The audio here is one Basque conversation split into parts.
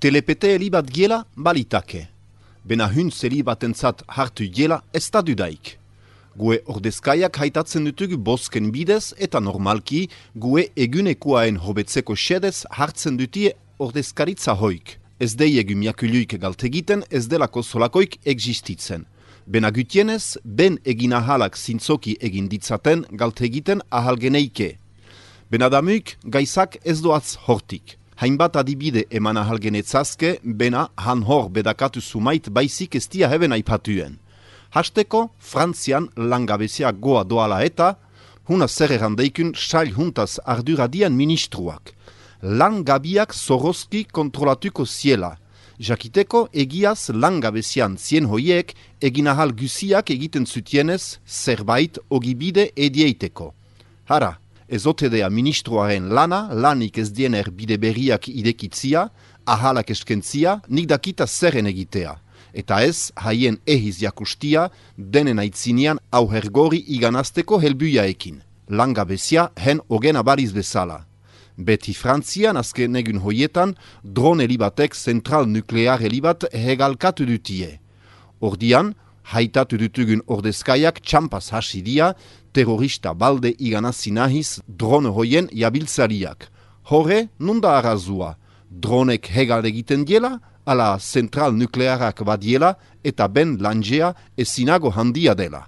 Telepete helibat giela balitake. Bena huntz helibatentzat hartu giela ez da dudaik. Gue ordezkaiak haitatzen dutugu bosken bidez eta normalki gue egunekoaen hobetzeko xedez hartzen dutie ordezkaritza hoik. Ez deiegu miakuluik galtegiten, ez delako solakoik existitzen. Bena gutienez, ben egin ahalak zintzoki egin ditzaten galtegiten ahalgeneike. Bena damuik gaizak ez doaz hortik. Hainbat adibide eman ahalgenetzazke, bena han hor bedakatu sumait baizik ez dia heben aipatuen. Hasteko, Frantzian langabezia goa doala eta, huna zer errandeikun sail huntaz arduradian ministruak. Langabiak zorozki kontrolatuko ziela. Jakiteko egiaz langabezian zien hoiek egin ahal guziak egiten zutienez zerbait ogibide edieiteko. Hara, ezotedea ministroaren lana, lanik ez diener bide berriak idekitzia, ahalak eskentzia, nik dakita zerren egitea. Eta ez, haien ehiz jakustia, denen aitzinean auhergori iganazteko helbuiaekin. Langabezia hen ogen abariz bezala. Beti Frantzian azken egun hoietan, drone helibatek zentral nuklear helibat hegalkatu dutie. Ordian, haitatu dutugun ordezkaiak txampaz hasidia, terrorista balde iganazi nahiz drone hoien jabiltzariak. Hore, nunda arrazua, dronek hegal egiten diela, ala zentral nuklearak badiela eta ben langea ezinago handia dela.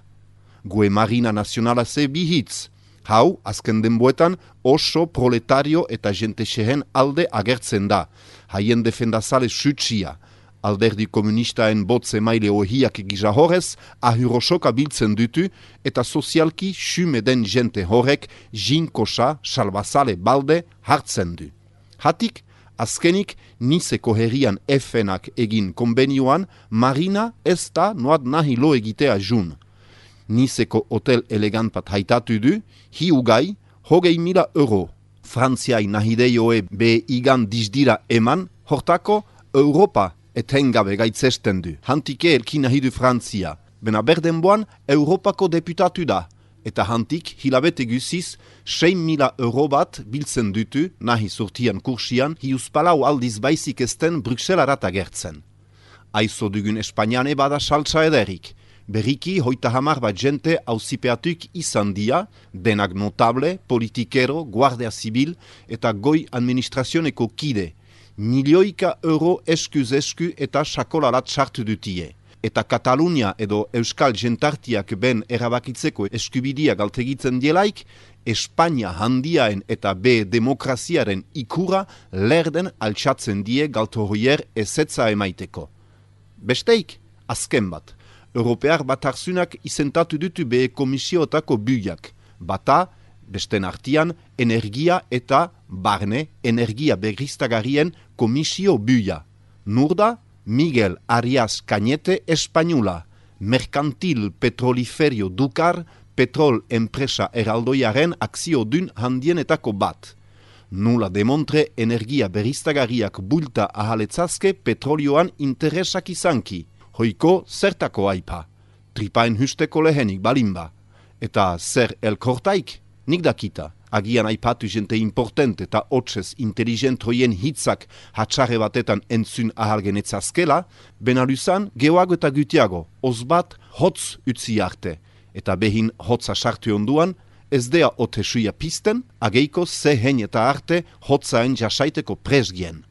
Gue Marina Nazionala ze bihitz. Hau, azken denboetan, oso proletario eta jentexehen alde agertzen da. Haien defendazale sutsia. Alderdi komunistaen botze maile ohiak gisa horrez, ahurosoka biltzen dutu eta sozialki xume den jente horrek jinkosa salbazale balde hartzen du. Hatik, azkenik, Nizeko herrian efenak egin konbenioan, Marina ez da noat nahi lo egitea jun. Nizeko hotel elegant bat haitatu du, hiugai, 20.000 euro. Frantziai nahideioe be igan dizdira eman, hortako Europa etengabe gaitzesten du. Hantike elki nahi du Frantzia. Bena berdenboan Europako deputatu da. Eta hantik hilabete guziz 6.000 euro bat biltzen dutu, nahi sortian kursian, hiuspalau aldiz baizik esten Bruxelarat agertzen. Aizo dugun Espainiane bada saltsa ederik. Berriki hoita hamar bat jente auzipeatuk izan dia, denak notable, politikero, guardia zibil eta goi administrazioneko kide. Milioika euro eskuz esku eta sakolarat sartu dutie. Eta Katalunia edo Euskal jentartiak ben erabakitzeko eskubidia galtegitzen dielaik, Espainia handiaen eta be demokraziaren ikura lerden altxatzen die galtohoier ezetza emaiteko. Besteik, azken bat. Europear batarzunak izentatu dutu be komisiootako buiak. Bata, besten artian, energia eta barne energia berriztagarrien komisio buia. Nurda, Miguel Arias Cañete Española, Mercantil Petroliferio Dukar, petrol enpresa eraldoiaren akzio dun handienetako bat. Nula demontre energia berriztagarriak bulta ahaletzazke petrolioan interesak izanki. Hoiko zertako aipa, tripaen husteko lehenik balimba. Eta zer elkortaik, nik dakita. Agian aipatu jente importante eta hotzez inteligent hoien hitzak hatxarre batetan entzun ahalgenetzazkela, benaluzan geoago eta gutiago, ozbat hotz utzi arte. Eta behin hotza sartu onduan, ez dea ote suia pisten, ageiko ze hen eta arte hotzaen jasaiteko presgien.